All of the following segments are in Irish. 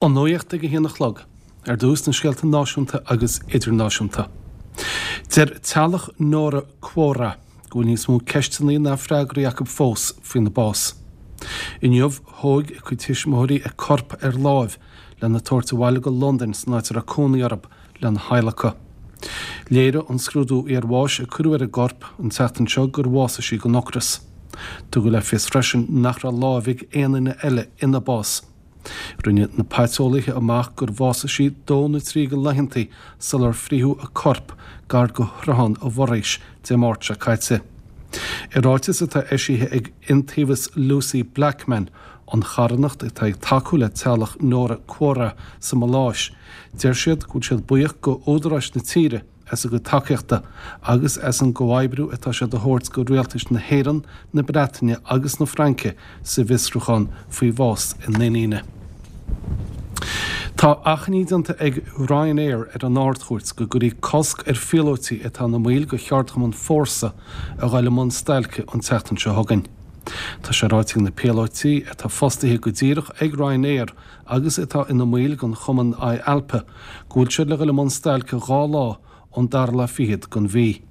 An nuacht ag a haon a chlog. Ar dtús na scéalta náisiúnta agus idirnáisiúnta. Deir teaghlach Nóra Quoira go bhfuil níos mó ceisteanna ná freagraí acu fós faoina bás. Inniu, thóg a cuid tuismitheoirí a corp ar láimh lena tabhairt abhaile go Londain san áit a raibh cónaí orthu lena hadhlacadh. Léirigh an scrúdú iarbháis a cuireadh ar an gcorp an tseachtain seo gur bhásaigh sí den ocras. Tugadh le fios freisin nach raibh lámh ag aon duine eile ina bás. Rinne na paiteolaithe amach gur bhásaigh sí dó nó trí de laethanta sular frítheadh a corp gar do Shruthán an Mhuirghis Dé Máirt seo caite. I ráiteas atá eisithe ag Iontaobhas Lucy Blackman, an charthanacht atá ag tacú le teaghlach Nóra Quoira sa Maláis, deir siad go bhfuil siad buíoch go údaráis na tíre, as a gcuid tacaíochta agus as an gcomhoibriú atá siad a thabhairt go rialtais na hÉireann, na Breataine agus na Fraince sa bhfiosrúchán faoi bhás a n-iníne. Tá achainí déanta ag Ryanair ar an Ard-Chúirt go gcuirfí cosc ar phíolóití atá ina mbaill de cheardchumann Fórsa a dhul i mbun stailce an tseachtain seo chugainn. Tá sé ráite ag na píolóití atá fostaithe go díreach ag Ryanair agus atá ina mbaill den chumann IALPA, go bhfuil siad le dhul i mbun stailce 2 lá ón dara lá fichead den mhí.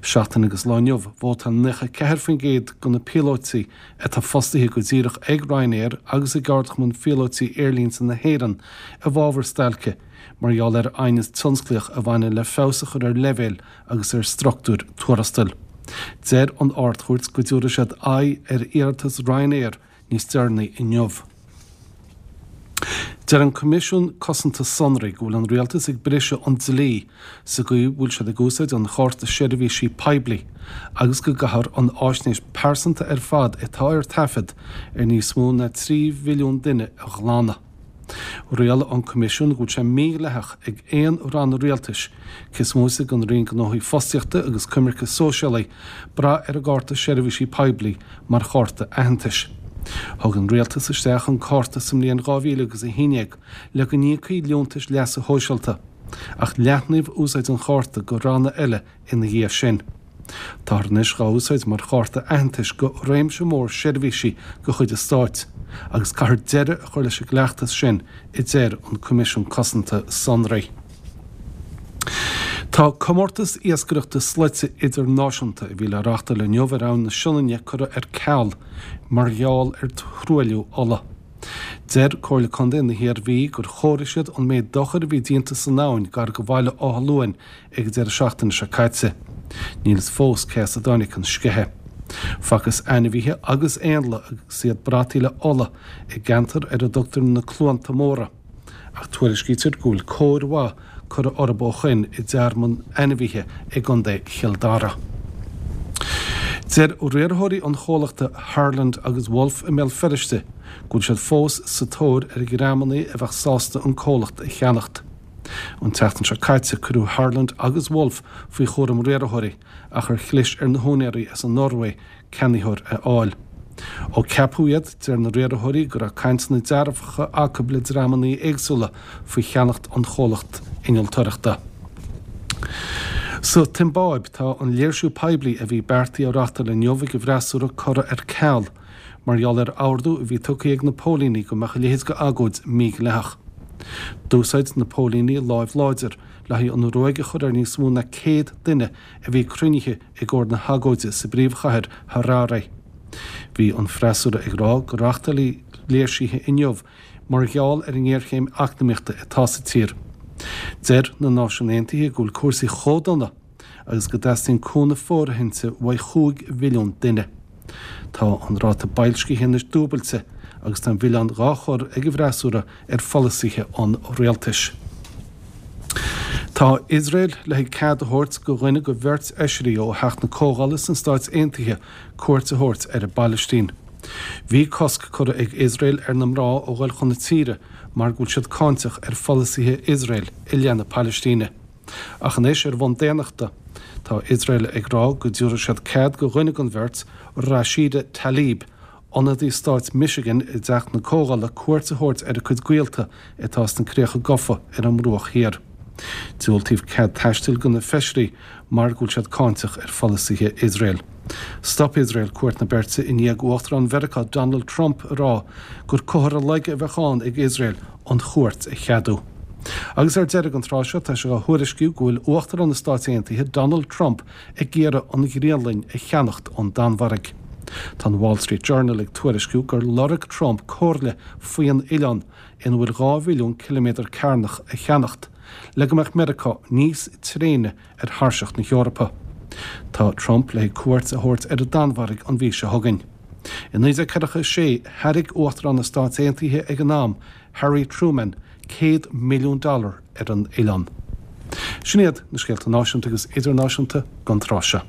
Seachtain agus lá inniu, vótáil 94% de na píolóití atá fostaithe go díreach ag Ryanair agus i gCeardchumann Phíolóití Aerlínte na hÉireann i bhfabhar stailce mar gheall ar aighneas tionsclaíoch a bhaineann le feabhas a chur ar leibhéil agus ar struchtúir tuarastail. Deir an Ard-Chúirt go dtabharfaidh siad aghaidh ar iarratas Ryanair níos deireanaí inniu. Deir an Coimisiún Cosanta Sonraí go bhfuil an Rialtas ag briseadh an dlí sa gcaoi a bhfuil siad ag úsáid an Chárta Seirbhísí Poiblí agus go gcaithfear an fháisnéis pearsanta ar fad atá ar taifead ar níos mó ná 3 mhilliún duine a ghlanadh. Rialaigh an Coimisiún go bhfuil sé mídhleathach ag aon ranna rialtais, cé is móite den Roinn Gnóthaí Fostaíochta agus Coimirce Sóisialaí, brath ar an gCárta Seirbhísí Poiblí mar chárta aitheantais. Thug an Rialtas isteach an cárta sa mbliain 2011 le go n-íocfaí liúntais leasa shóisialta, ach leathnaíodh úsáid an chárta go ranna eile ina dhiaidh sin. Táthar anois dhá úsáid mar chárta aitheantais go réimse mór seirbhísí de chuid an stáit, agus caithfear deireadh a chur leis an gcleachtas sin, a deir an Coimisiún Cosanta Sonraí. Tá comórtas iascaireachta slaite idirnáisiúnta a bhí le reáchtáil inniu ar Abhainn na Sionainne curtha ar ceal mar gheall ar thruailliú ola. Deir Comhairle Contae na hIarmhí gur chomhair siad an méid dochair a bhí déanta san abhainn gar do Bhaile Átha Luain ag an deireadh seachtaine seo caite. Níl fhios fós cé as a dtáinig an sceitheadh. Facthas ainmhithe agus éanlaith agus iad brataithe le ola i gceantar ar a dtugtar na Cluanta Móra, ach tuairiscítear go bhfuil cóir mhaith curtha orthu ó shoin i dtearmann ainmhithe i gContae Chill Dara. Deir riarthóirí an chomhlachta Harland agus Wolff i mBéal Feirste go bhfuil siad fós sa tóir ar dhreamanna a bheadh sásta an comhlacht a cheannacht. An tseachtain seo caite cuireadh Harland agus Wolff faoi chúram riarthóirí ach ar chlis ar na húinéirí as an Noruaidh ceannaitheoir a fháil. Ó ceapadh iad, deir na riarthóirí go raibh cainteanna dearfacha acu le dreamanna éagsúla faoi cheannacht an chomhlacht innealtoireachta. Sa tSiombáib, tá an léirsiú poiblí a bhí beartaithe a reáchtáil inniu ag an bhfreasúra curtha ar ceal mar gheall ar ordú a bhí tugtha ag na póilíní go mbeadh a leithéid de agóid mídhleathach. D'úsáid na póilíní láimh láidir le haghaidh an ruaig a chur ar níos mó ná 100 duine a bhí cruinnithe i gcomhair na hagóide sa bpríomhchathair Harare. Bhí an freasúra ag rá go reáchtálfaí léirsithe inniu mar gheall ar an ngéarchéim eacnamaíochta atá sa tír. Deir na Náisiúin Aontaithe go bhfuil cúrsaí chomh dona agus go dteastaíonn cúnamh fóirithinte uaidh 5 mhilliún duine. Tá an ráta boilscithe anois dúbailte agus tá an milleán dhá chur ag an bhfreasúra ar pholasaithe an rialtais. Tá Iosrael le haghaidh cead a thabhairt go dhuine go bheirt fheisirí ó Theach na Comhdhála sna Stáit Aontaithe cuairt a thabhairt ar an bPailistín. Bhí cosc curtha ag Iosrael ar na mná ó ghoil chun na tíre mar go bhfuil siad cáinteach ar pholasaithe Iosrael i leith na Pailistíne. Ach anois, ar bhonn daonnachta, tá Iosrael ag rá go dtabharfaidh siad cead go dhuine den bheirt, Rashida Tlaib, ionadaí stáit Michigan i dTeach na Comhdhála cuairt a thabhairt ar a cuid gaolta atá sna críocha gafa ar an mBruach Thiar. Diúltaíodh cead taistil do na feisirí mar go bhfuil siad cáinteach ar pholasaithe Iosrael. Stop Iosrael cuairt na beirte i ndiaidh Uachtarán Mheiriceá Donald Trump a rá gur comhartha laige a bheadh ann ag Iosrael an chuairt a cheadú. Agus ar deireadh an tráth seo tá sé á thuairisciú go bhfuil Uachtarán na Stáit Aontaithe Donald Trump ag iarraidh an Ghraonlainn a cheannacht ón Danmhairg. Tá an Wall Street Journal ag tuairisciú gur lorg Trump comhairle faoin oileán ina bhfuil 2 mhilliún ciliméadar cearnach a cheannacht, le go mbeadh Meiriceá níos tréine ar thairseach na hEorpa. Tá Trump le cuairt a thabhairt ar an Danmhairg an mhí seo chugainn. I 1946, thairg Uachtarán na Stáit Aontaithe ag an am, Harry Truman, 100 milliún dollar ar an oileán. Sin iad na scéalta náisiúnta agus idirnáisiúnta don tráth seo.